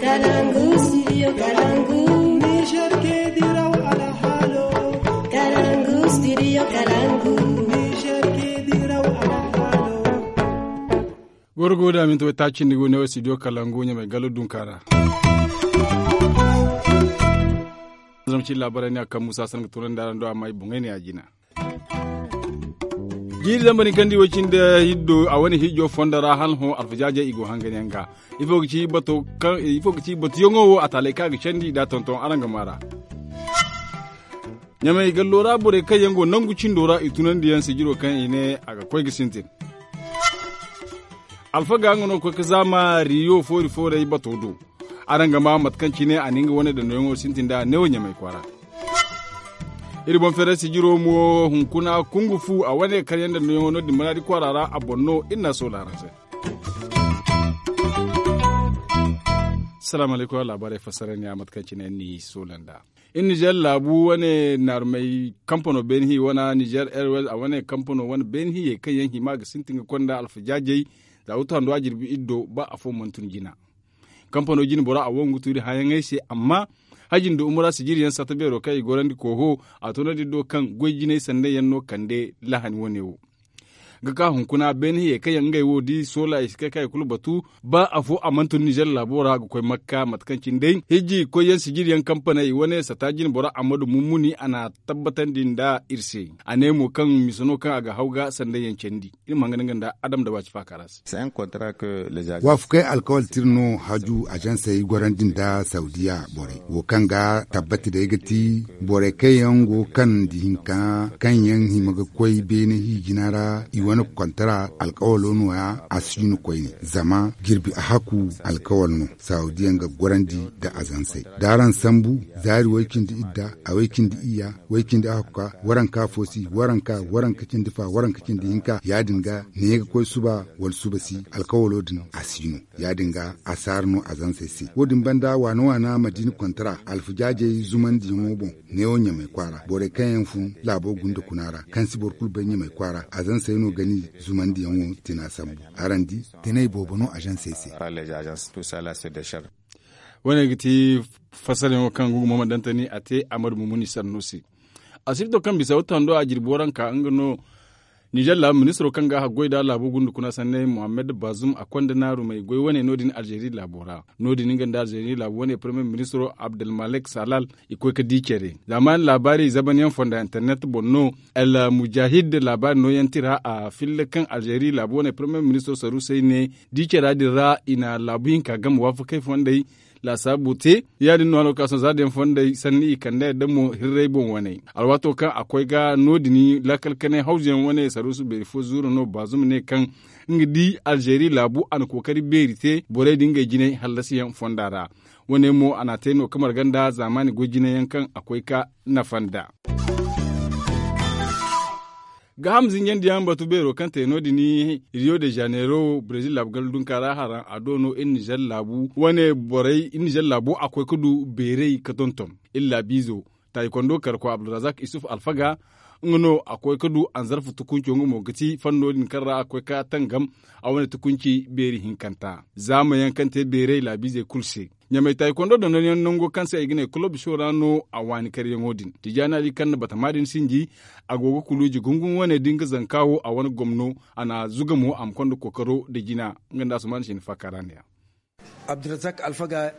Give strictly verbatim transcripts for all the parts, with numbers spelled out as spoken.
Kalangu studio kalangu. Niger ke diraw alhalo. Kalangu studio kalangu. Niger ke diraw alhalo. Gorgo da minti wai taacindi go ne wo studio kalangu ɲamay galo dunka ra. Zama ci laabaray ne a kaŋ musa sanga tunandi araŋ do amma i boŋay ne a jina. Jiiri zambar ni kaŋ di way cindi hiddo a wane hijo fondo ra hala hõ alfajaajey i go hangan yaŋ ga. Ifo ga ci bato kaŋ ifo ga ci batuyaŋo wo a taalay kaŋ a ga candi da tonton araŋ ga maara. Ɲamay gallo ra borey kaŋ yaŋ go nangu cindo ra i tunandi yaŋ sijiro kaŋ i ne a ga koy ga sintin. Alfaga nga no ga koy ga zaama riyo foori fooray bato do. Araŋ ga maa mate kaŋ cine a na nga wane dandoyaŋo sintin nd'a neewo ɲamay kwaara. Iri boŋ feeray sijiro mo hunkuna kungu fu a wane karyaŋ dandoyaŋo no- din manaadi kwaara ra a boŋ no iri n'a soola araŋ se. Salaamu alaykum laabaarey fassara ne a mate kaŋ cine iri n'i soola nd'a. Iri nizer laabu wane naarumey kampano beeni hi wana nizer airways a wane kampano wane beeni hiyey kaŋ yaŋ hima ga sintin ga konda alfajaajey. Za wutu hando a jirbi iri do ba afo mana tun jina. Kampano jine bora a wangu tuuri hããyaŋey se amma haji nda umura sijiri yaŋ satta beero kaŋ i gorandi kooho a tunandi do kaŋ goy jinay sanney yaŋ no kande lahani wane wo. Ga ka hunkuna beene hiyey kaŋ yaŋ ngey wo di soola i si kay kaŋ i kulu batu ba afo a mana tun nizer laabo ra ga koy makka mate kaŋ cine day hijji koyyaŋ sijiri yaŋ kampaney wane satta jine bora ammadu mummuni a n'a tabbatandi nda iri se. A ne mo kaŋ misa no kaŋ a ga haw ga sandey yaŋ candi. Iri ma hanga nda nga nda adam da waaci faaka ra se. Waafakey alkawal tira no haju azansey gorandi nda saudiya borey wo kaŋ ga tabbati day ga ti borey kaŋ yaŋ go kande hinka kaŋ yaŋ hima ga koy beene hi jina ra i wane kontara alkawalo no- ya a si no koyne zama jirbi a haku alkawal no. Saudiya nga gorandi nda azansey da araŋ sambu zaari way cindi idda a way cindi iyya way cindi a hakka waranka fo si waranka waranka cindi fa waranka cindi hinka ya- din ga ne ga koy suba wala suba si alkawalo din a si no. Ya- din ga a si har no azansey se wo- din banda waana waana madiina kontara alfajaajey zumandiyaŋo boŋ neewo ɲamay kwaara borey kaŋ yaŋ fun laabo gunda kuna ra kaŋ si boro kulu bay ɲamay kwaara azansey no ga ni zumandiyaŋo tina sambu. Araŋ di tinay boobo no azansey se. Wo- ne ga ti fassarayaŋo kaŋ gugu muhammad dantani a te amadu mumuni sannu se. Asibito kaŋ bisa wata hando a jirbi waranka nga no nizer laabu ministiro kaŋ ga a haggoy da laabo gunda kuna sanney muhammad bazum a konda naarumey goy wane no- din alzeeri laabo ra. No- din nga nda alzeeri laabu wane parmiye ministiro abdulmalik salal i koy ga di care. Zaamaani laabaari zaban yaŋ fonda internet boŋ no. Almujahid laabaari nooyaŋ tira a filla kaŋ alzeeri laabu wane parmiye ministiro saruusey ne di cara din ra i na laabu hinka game waafakey fondey laasaabu te. Ya- din no alwakaaso za din fondey sanni i kande yadda mo hirray boŋ wane alwaato kaŋ a koy ga no- din laakal kanay hawzuyaŋ wane saruusu beeri fo zuuru no baazum ne kaŋ nga di alzeeri laabu a na kookari beeri te borey din ngey jinay hallasiyaŋ fonda ra. Wo- ne mo a n'a te no ga marga nda zaamaani goy jinayaŋ kaŋ a koy ga nafa nd'a. Gaaham zinjandiyaŋ batu beero kaŋ te no- din rio de janeiro brezil laabu ganda dunka ra haraŋ a do no iri nizer laabu wane borey iri nizer laabo a koy ga du beeray ga tonton. Iri laabiizo taayi kondo karko abdulrazak isuf alfaga nga no a koy ga du anzarfa tukunco nga mo ga ti fanno din kaŋ ra a koy ga tangam a wane tukunci beeri hinkanta zaamayaŋ kaŋ te beeray laabiizey kulu se. Ɲamay taayi kondo dondonayaŋ nango kaŋ se ay ga ne kulob sho ra no a waani karyaŋo din tijaani ali kaŋ na batama din sinji. A go ga kuluuji gungun wane da nga zanka wo a wane gomno a na zuga mo a ma konda kookaro nda jina. Nga nda asuman sinda faaka ra ne ya. Abdulrazak alfaga.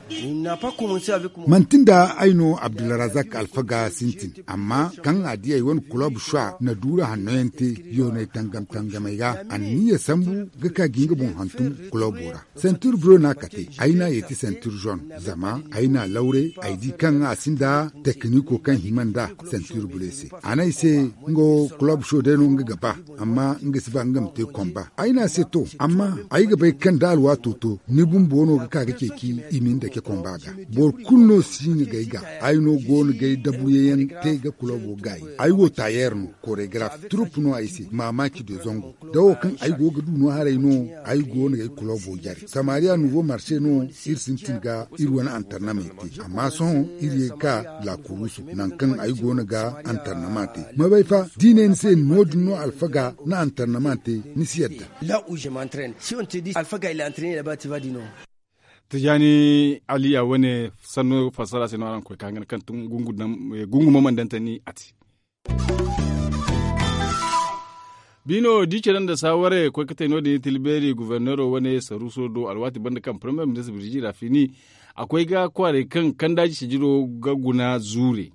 Manti nda ay no abdulrazak alfaga sintin amma kaŋ a di ay wane kulob sho na duura hanno yaŋ te yoonay tangam tangamey ga anniya sambu ga ka ga nga boŋ hantum kulobo ra. Sentir bro no a kate ay n'a yeeti sentir zone zama ay n'a lawre ay di kaŋ a sinda tekiniko kaŋ hima nd'a. Sentir bro se a ne ay se nga wo kulob sho day no nga ga ba amma nga si ba nga ma te komba ay n'a se to amma ay ga bay kaŋ da alwaato to ni bumbo no ga ka ga ceeci i ma ni dake komba ga. Boro kulu no si nga gay ga ay no go no gay dabuyayaŋ te ga kulobo gaayi ay wo taayer no koregraf turup no ay se maamaaci de zango da wo kaŋ ay go ga du no haray no. Ay go no gay kulobo jare samariya nuvo marse no iri sintin ga iri wane antarnamey te amma sohõ iri ye ga ka lakurusu nangu kaŋ ay go no ga antarnama te. Ma bay fa da i ne ni se no- din no alfaga na antarnama te ni si yadda. La uže mantrain si on te di alfaga il antrain la ba ti va di no. Tijaani aliya wane sanno fassara se no araŋ ga koy ka hangan kaŋ tun gungu ma mandantani a te. Biino di care nda saawarey koy ga te no- din i tilbeeri goforneero wane saruuso do alwaati banda kaŋ parmiye ministir birji rafini a koy ga kwaaray kaŋ kandaaji sijiro ga guna zuure.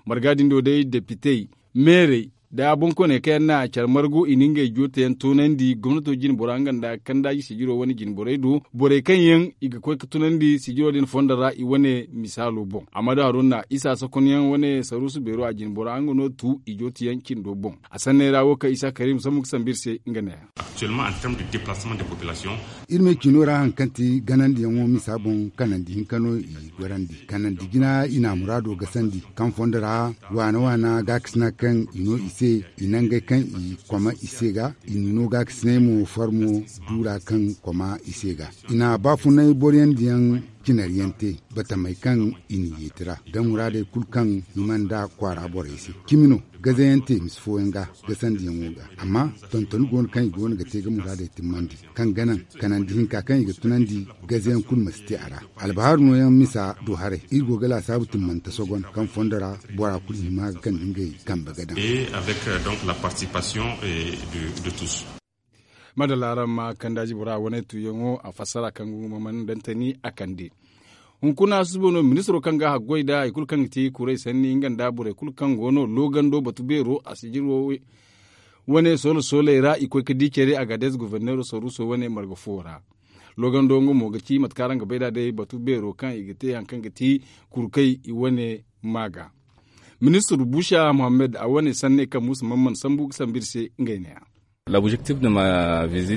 Marga din do day depitey meerey nda boŋkooney kaŋ yaŋ na care margu i na ngey joote yaŋ toonandi gomnato jinbora nga nda kandaaji sijiro wane jinborey do borey kaŋ yaŋ i ga koy ga tunandi sijiro din fondo ra i wane misaalo boŋ amma da haruna isa sokonyaŋ wane saruusu beero a jinbora nga no tu i joote yaŋ cindo boŋ. A sanney ra wo kaŋ isa karim sambu ga sambu iri se nga ne ya. Iri me ciino ra hari kaŋ ti ganandiyaŋo misa boŋ kanandi hinka no i gorandi kanandi jina i na a muraado gasandi kaŋ fondo ra waana waana gaakasina kaŋ i no i se i nangey kaŋ i koma i se ga i nino gaakasinay mo farmo duura kaŋ koma i se ga i na baafunay boroyandiyaŋ cinariyaŋ te batamey kaŋ i na yeeti ra da muraadey kulu kaŋ hima nda kwaara borey se cimi no gazayaŋ te misa fooyaŋ ga gasandiyaŋo ga amma tontoni go no kaŋ i go no ga te ga muraadey timmandi kaŋ ga naŋ kanandi hinka kaŋ i ga tunandi gazayaŋ kulu ma si te a ra. Albahaaru nooyaŋ misa do haray iri go ga laasaabu timmante sogon kaŋ fondo ra bora kulu hima ga kande ngey kambe ga daŋ. Madalla araŋ ma kandaaji bora wane tuuyaŋo a fassara kaŋ ga hunkuna susubo no ministiro kaŋ ga haggoy nda hari kulu kaŋ ga ti kuray sanni nga nda borey kulu kaŋ go no loogando batu beero a sijiro wane soolo sooley ra i koy ga di care agades goforneero saruuso wane marga fo ra. Loogando nga mo ga ci mate kaŋ araŋ ga bay nd'a day batu beero kaŋ i ga te hari kaŋ ga ti kurkay i wane ma ga. Ministir buusa muhammad a wane sanney kaŋ muusa man mana sambu ga sambu iri se ngey ne ya.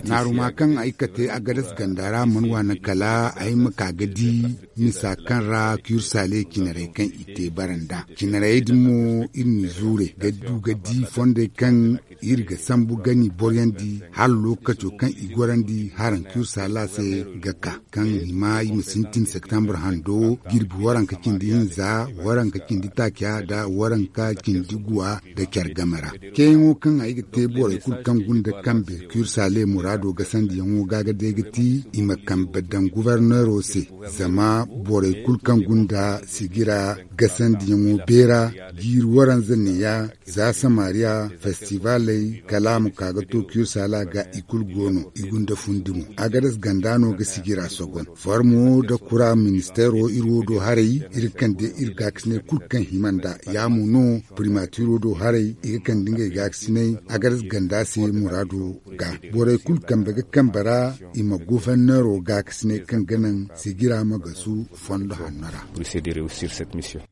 Naaruma kaŋ ay ga te agades ganda ra mana waana kala ay ma ka ga di misa kaŋ ra kursaale cinarey kaŋ i te bara nd'a cinarey din mo iri n'i zuure ga du ga di fondey kaŋ iri ga sambu gani boryandi hala lookaco kaŋ i gorandi haraŋ kursaala se ga ka kaŋ i ma i ma sintin septembre hando jirbi waranka cindi hinza waranka cindi taaca nda waranka cindi guwa nda care game ra. Ceeyaŋo kaŋ ay ga te borey kulu kaŋ gunda kambe kursaale muraado gasandiyaŋo ga ga day ga ti i ma kambe daŋ goforneero se zama borey kulu kaŋ gunda sigira gasandiyaŋo beera jiiri waranza neeya za samariya festivaley kala a ma ka ga to kursaala ga i kulu go no i gunda fundi mo agades ganda no ga sigira sogon farmo nda kura ministeero iri wo do haray iri kande iri gaakasiney kulu kaŋ hima nd'a ya mo no primatiro do haray i ga kande ngey gaakasiney agades ganda se muraado ga borey kulu kambe ga kambe ra i ma goforneero gaakasiney kaŋ ga naŋ sigira ma gasu fondo hanno ra.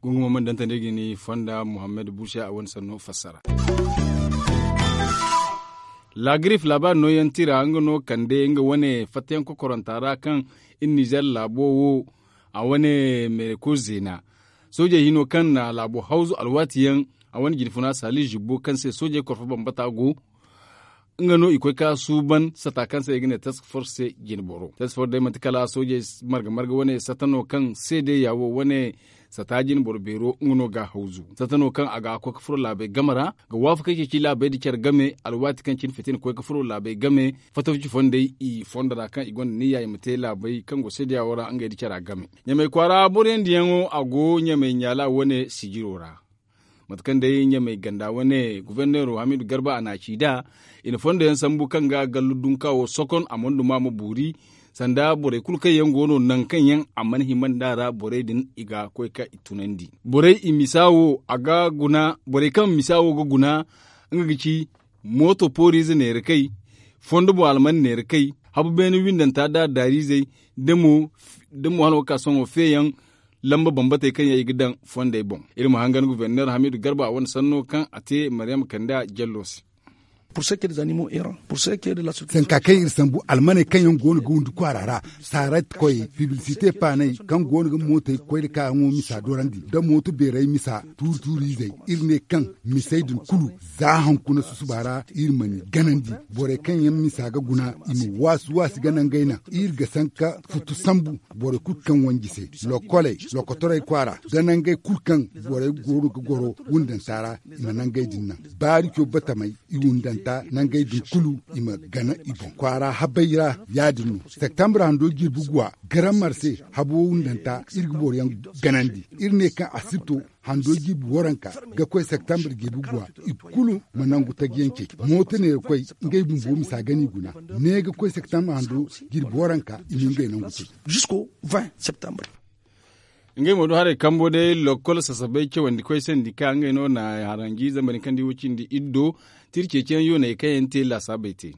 Gungumo mana dantandi ga ni fonda muhammad buusa a wane sanno fassara. Lagrif laabaari nooyaŋ tira nga no kande nga wane fattayaŋ kokoranta ra kaŋ iri nizer laabo wo a wane mereko zeena soojey hino kaŋ na laabo hawzu alwaati yaŋ a wane jinfuna saali zibbo kaŋ se soojey korfo bambata go. Nga no i koy ka suuban sata kaŋ se i ga ne task force se jine boro task force day manti kala soojey marga marga wane sata no kaŋ se day ya wo wane sata jine boro beero nga no ga hawzu sata no kaŋ a ga koy ka furo laabey game ra ga waafakey ceeci laabey nda care game alwaati kaŋ cine fitina koy ka furo laabey game fatawci fondey i fondo ra kaŋ i gonda niyya i ma te laabey kaŋ go se day ya wo ra ngey nda cara game. Ɲamey kwaara boroyandiyaŋo a go ɲamey ɲaala wane sijiro ra. Mate kaŋ day ɲamey ganda wane goforneero hamidu garba a na a ci nd'a i na fondo yaŋ sambu kaŋ ga gallu dunka wo sokon a mana duma ma boori sanda borey kulu kaŋ yaŋ go no nangu kaŋ yaŋ a mana hima nd'a ra borey din i ga koy ka i tunandi borey i misa wo a ga guna borey kaŋ misa wo ga guna nga ga ci mooto pooriize neera kay fondo boŋ alman neera kay habu beene windanta nda daariizey da mo hala wo ga ka sohõ feeyaŋ lamba bambatey kaŋ yaŋ i ga daŋ fondey boŋ. Iri ma hangan goforneer hamidu garba a wane sanno kaŋ a te maryam kanda jallo se. Sanka kaŋ iri sambu almaney kaŋ yaŋ go no ga windi kwaara ra saarat koyey piblisite paaney kaŋ go no ga mootey koy nda kaayaŋo misa dorandi nda mooto beerey misa tuuri tuuri izey iri ne kaŋ misey din kulu za hankuna susuba ra iri ma ni ganandi borey kaŋ yaŋ misa ga guna i ma waasu waasi ga nangey naŋ iri ga sanka futu sambu borey kulu kaŋ wanji se lokoley lokotorey kwaara da nangey kulu kaŋ borey goono ga goro wundanta ra i ma nangey din naŋ baarico batamey i wundanta. Nda nangey din kulu i ma gana i boŋ kwaara habay ra. Ya- din no septambur hando jirbi guwa garamar se habo wundanta iri ga boro yaŋ ganandi. Iri ne kaŋ a si to hando jirbi waranka ga koy septambur jirbi guwa i kulu ma nangu taji yaŋ cey. Mooto neera koy ngey bumbo misa gana i guna ne ga koy septambur hando jirbi waranka i ma ngey nangu cey. Jusko vingt septambur. Ngey mo do haray kambo day lokol sasabay cawandi koy sandika ngey no na haranji zamani kaŋ di wo cindi iddo. Tiri ceeciyaŋ yoonay kaŋ yaŋ te laasaabey te.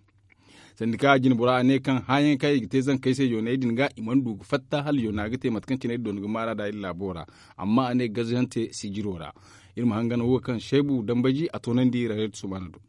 Sandika a jine bora a ne kaŋ hãayaŋ kaŋ i ga te zankey se yoonay din ga i mana du ga fatta hala yoona ga te mate kaŋ cine iddo ni ga maara da iri laabo ra. Amma a ne gazayaŋ te sijiro ra. Iri ma hangan wo kaŋ seebu dambaji a toonandi rareet sumaana do.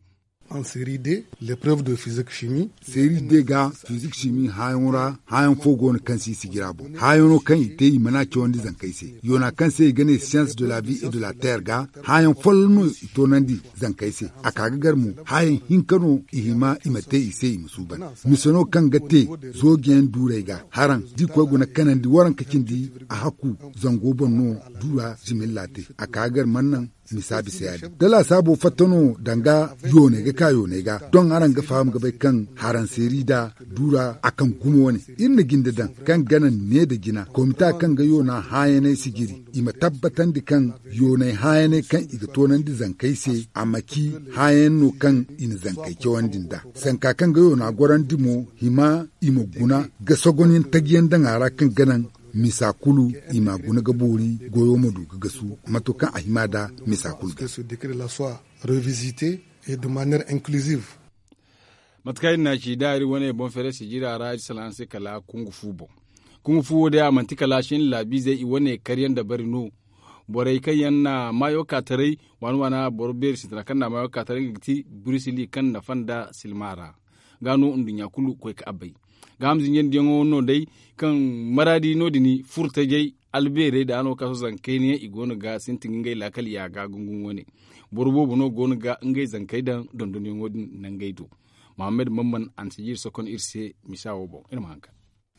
Seeri de ga fizik simi hãayaŋo ra hãayaŋ fo go no kaŋ si i sijira boŋ hãayaŋo kaŋ i te i mana cawandi zankey se. Yoona kaŋ se i ga ne siyans de la vi et de la teer ga hãayaŋ folloŋ no i toonandi zankey se. A ka ga gar mo hãayaŋ hinka no i hima i ma te i se i ma suuban. Mise no kaŋ ga te zoojiyaŋ duurey ga haraŋ da i koy guna kanandi waranka cindi a hakku zango boŋ no. Duura similla te a ka ga gar mana naŋ misa bisa ya- din da laasaabo fatta no danga yooney ga ka yooney ga doŋ araŋ ga faham ga bay kaŋ haranseeri da duura a kaŋ gumo wane. Iri na jinde daŋ kaŋ gana ne nda jina komita kaŋ ga yoona hãayaney sijiri i ma tabbatandi kaŋ yooney hãayaney kaŋ i ga toonandi zankey se a ma ci hãayan no kaŋ i na zankey cawandi nd'a. Sanka kaŋ ga yoona gorandi mo hima i ma guna ga sogonyaŋ taji yaŋ daŋ a ra kaŋ ga naŋ misa kulu i ma a guna ga boori goyo ma du ga gasu mato kaŋ a hima nd'a misa kulu ga. Mate kaŋ iri na ci da iri wane boŋ feere sijira ra iri salaŋ se kala kungu fu boŋ. Kungu fu wo day a manti kala shin laabiizey i wane karyaŋ dabari no. Borey kaŋ yaŋ na maayo ka taray waana waana boro beeri sintina kaŋ na maayo ka taray nga ga ti burisili kaŋ nafa nda silma ra. Ga no nduɲɲa kulu koy ka a bay. Ga hamzinjandiyaŋo no day kaŋ maraadi no- din furtajey albeerey da a no kaaso zankaynayaŋ i go no ga sintin ga ngey laakal yaaga gungun wane. Boro boobo no go no ga ngey zankey daŋ dondonyaŋo din nangey do. Mahammad mamman a na si jiiri sokon iri se misa wo boŋ iri ma haŋ ka.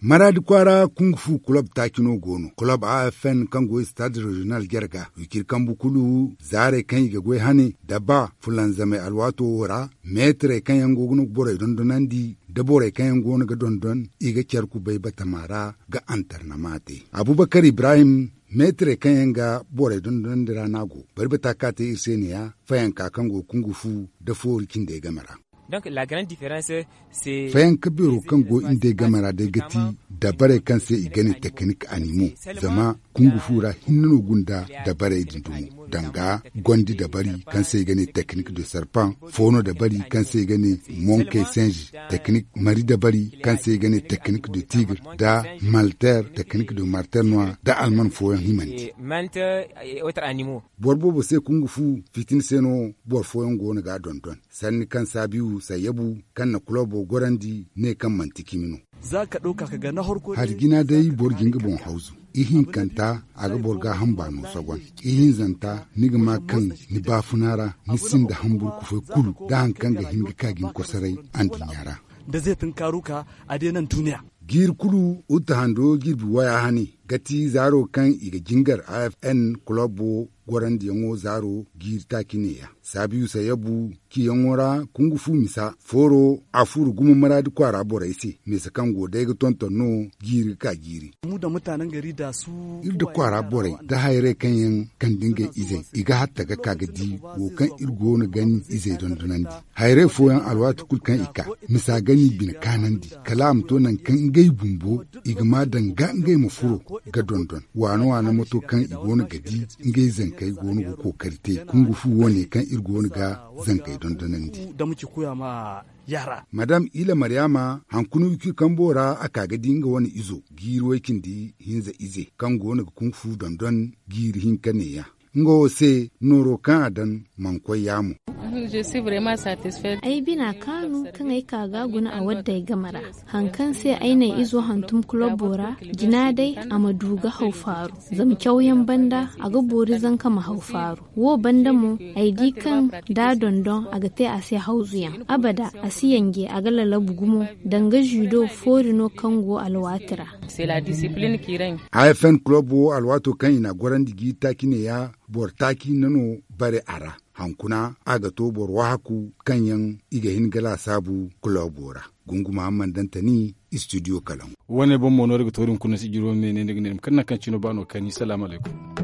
Maraadi kwaara kungu fu kulob taaci no go no kulob a f n kaŋ go istaad reziyonal jarga wiciri kambu kulu zaarey kaŋ i ga goy hane da ba fulanzamey alwaato wo ra. Meetirey kaŋ yaŋ go ga no ga borey dondonandi da borey kaŋ yaŋ go no ga dondon i ga care kubay batama ra ga antarnama te. Abubakar ibrahim meetirey kaŋ yaŋ ga borey dondonandi ra no a go. Bari bata kaŋ a te iri se ne- ya fayanka kaŋ go ga kungu fu nda foori cindey game ra. Fayanka beero kaŋ go iri day game ra day ga ti dabarey kaŋ se i ga ne teknik animo. Zama kungu fu ra hinne no gunda dabarey din dumo danga gondi dabari kaŋ se i ga ne teknik de serpent, foono dabari kaŋ se i ga ne monkey singe, teknik mari dabari kaŋ se i ga ne teknik de tigre, nda malter teknik de marter noir nda alman fooyaŋ himandi. Boro boobo se kungu fu fitina se no boro fooyaŋ go no ga a dondon. Sanni kaŋ saabiyu sayyabu kaŋ na kulobo gorandi ne kaŋ manti cimi no. Hari jina day boro ga nga boŋ hawzu. Ihinkanta a ga boro gaaham baano sogon. Ihinzanta ni ga ma kaŋ ni baafuna ra ni sinda hamburu kufay kulu da hari kaŋ ga hin ga ka ga ni kosoray anduɲɲa ra. Da zai tunkaaru ka a day naŋ duuniya. Jiiri kulu uta hando jirbi waya hane ga ti zaaro kaŋ i ga jingar a f n kulobo gorandiyaŋo zaaro jiiri taaci neeya. Saabiyu sayyabu ciyaŋo ra kungu fu misa fooro a furo gumo maraadi kwaara borey se. Misa kaŋ go day ga tonton no jiiri ga ka jiiri. Iri nda kwaara borey nda hayrey kaŋ yaŋ kande ngey izey i ga hatta ga ka ga di wo kaŋ iri go no ga ni izey dondonandi. Hayrey fooyaŋ alwaati kulu kaŋ i ka misa ga ni bine kaanandi kala a ma to nangu kaŋ ngey bumbo i ga ma danga ngey ma furo ga dondon waana waana mato kaŋ i go no ga di ngey zankey go no ga kookari te kungu fu wo- ne kaŋ iri go no ga zankey dondonandi. Madam ila maryaama hankuna wikir kambo ra a ka ga di nga wane izo jiiri way-cindi hinza ize kaŋ go no ga kungu fu dondon jiiri hinka neeya. Nga wo se nooro kaŋ a daŋ mana koy yaamo. Ay bina kaanu kaŋ ay ka ga a guna a wadday game ra. Hari kaŋ se ay na ay izo hantum kulobo ra jina day a ma du ga haw faaru. Zama cawyaŋ banda a ga boori zanka ma haw faaru. Wo banda mo ay di kaŋ da a dondon a ga te a se hawzuyaŋ abada. A si yanje a ga lalabu gumo danga zido foori no kaŋ go alwaati ra. A f n kulobo wo alwaato kaŋ i na a gorandi jiiri taaci neeya boro taaci hinne no bare a ra. Hankuna a ga to boro waahaku kaŋ yaŋ i ga hin ga laasaabu kuloobo ra. Gungu mahamman dantani, istidiyo kalaŋ. Wane boŋ mo no iri ga to din kuna si jiro me ne ni ga ne ni ma kaŋ naŋ kaŋ cino ba no kani salaamu alaykum.